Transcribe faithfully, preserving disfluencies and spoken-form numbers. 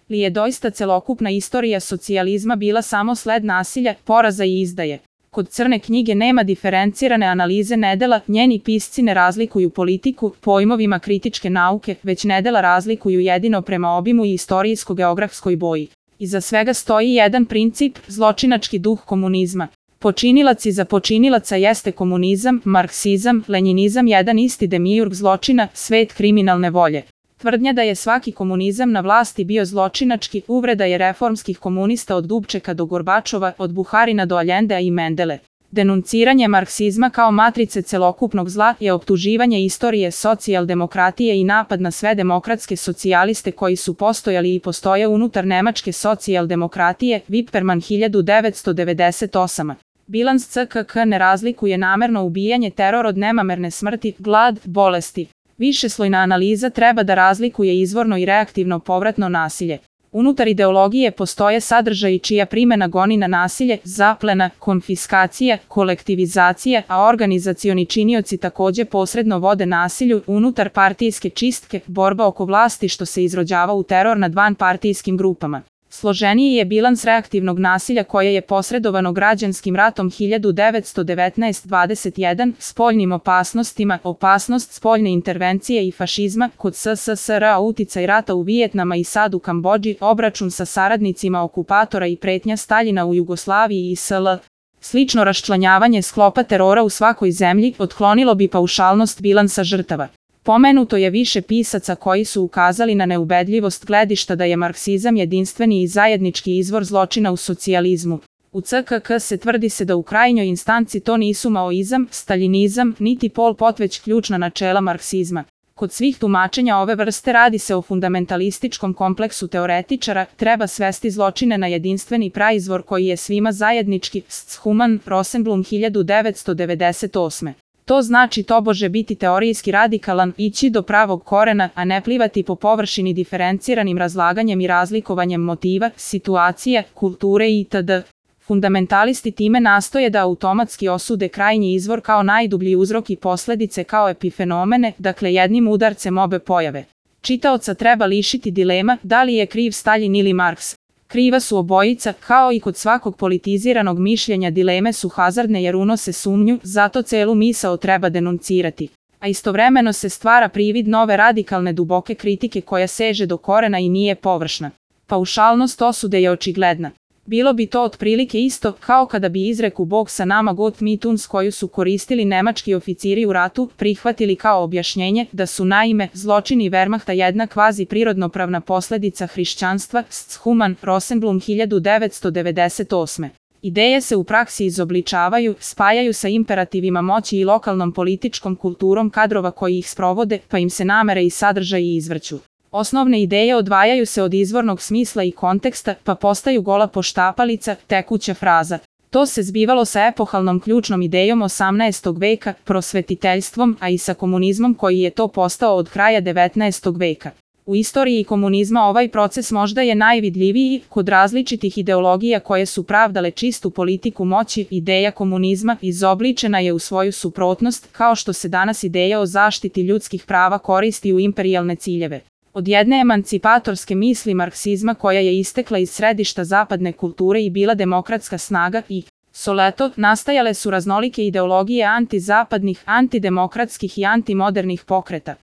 li je doista celokupna istorija socijalizma bila samo sled nasilja, poraza i izdaje? Kod Crne knjige nema diferencirane analize nedela, njeni pisci ne razlikuju politiku pojmovima kritičke nauke, već nedela razlikuju jedino prema obimu i istorijsko-geografskoj boji. Iza svega stoji jedan princip, zločinački duh komunizma. Počinilac iza počinilaca jeste komunizam, marksizam, lenjinizam, jedan isti demijurg zločina, svet kriminalne volje. Tvrdnja da je svaki komunizam na vlasti bio zločinački, uvreda je reformskih komunista od Dubčeka do Gorbačova, od Buharina do Aljendea i Mendele. Denunciranje marksizma kao matrice celokupnog zla je optuživanje istorije socijaldemokratije i napad na sve demokratske socijaliste koji su postojali i postoje unutar nemačke socijaldemokratije, Wipperman hiljadu devetsto devedeset osam. Bilans C K K ne razlikuje namerno ubijanje, teror od nemamerne smrti, glad, bolesti. Višeslojna analiza treba da razlikuje izvorno i reaktivno povratno nasilje. Unutar ideologije postoje sadržaji čija primjena goni na nasilje, zaplena, konfiskacija, kolektivizacija, a organizacioni činioci takođe posredno vode nasilju, unutar partijske čistke, borba oko vlasti što se izrođava u teror nad vanpartijskim grupama. Složeniji je bilans reaktivnog nasilja koje je posredovano građanskim ratom hiljadu devetsto devetnaest dvadeset jedan, spoljnim opasnostima, opasnost spoljne intervencije i fašizma, kod S S S R, uticaj rata u Vijetnama i sad u Kambodži, obračun sa saradnicima okupatora i pretnja Staljina u Jugoslaviji i S L. Slično raščlanjavanje sklopa terora u svakoj zemlji otklonilo bi paušalnost bilansa žrtava. Pomenuto je više pisaca koji su ukazali na neubedljivost gledišta da je marksizam jedinstveni i zajednički izvor zločina u socijalizmu. U C K K se tvrdi se da u krajnjoj instanci to nisu maoizam, staljinizam, niti Pol Pot već ključna načela marksizma. Kod svih tumačenja ove vrste radi se o fundamentalističkom kompleksu teoretičara, treba svesti zločine na jedinstveni praizvor koji je svima zajednički, Schumann, Rosenblum hiljadu devetsto devedeset osme. To znači tobože biti teorijski radikalan, ići do pravog korena, a ne plivati po površini diferenciranim razlaganjem i razlikovanjem motiva, situacije, kulture itd. Fundamentalisti time nastoje da automatski osude krajnji izvor kao najdublji uzrok i posledice kao epifenomene, dakle jednim udarcem obe pojave. Čitaoca treba lišiti dilema da li je kriv Staljin ili Marks. Kriva su obojica, kao i kod svakog politiziranog mišljenja dileme su hazardne jer unose sumnju, zato celu misao treba denuncirati. A istovremeno se stvara privid nove radikalne duboke kritike koja seže do korena i nije površna. Paušalnost osude je očigledna. Bilo bi to otprilike isto kao kada bi izreku Bog sa nama Gott mit uns koju su koristili nemački oficiri u ratu prihvatili kao objašnjenje da su naime zločini Wehrmachta jedna kvazi prirodnopravna posledica hrišćanstva, Schumann, Rosenblum hiljadu devetsto devedeset osme. Ideje se u praksi izobličavaju, spajaju sa imperativima moći i lokalnom političkom kulturom kadrova koji ih sprovode, pa im se namere i sadržaji izvrću. Osnovne ideje odvajaju se od izvornog smisla i konteksta, pa postaju gola poštapalica, tekuća fraza. To se zbivalo sa epohalnom ključnom idejom osamnaestog veka, prosvetiteljstvom, a i sa komunizmom koji je to postao od kraja devetnaestog veka. U istoriji komunizma ovaj proces možda je najvidljiviji, kod različitih ideologija koje su pravdale čistu politiku moći, ideja komunizma izobličena je u svoju suprotnost, kao što se danas ideja o zaštiti ljudskih prava koristi u imperijalne ciljeve. Od jedne emancipatorske misli marksizma koja je istekla iz središta zapadne kulture i bila demokratska snaga i soleto, nastajale su raznolike ideologije antizapadnih, antidemokratskih i antimodernih pokreta.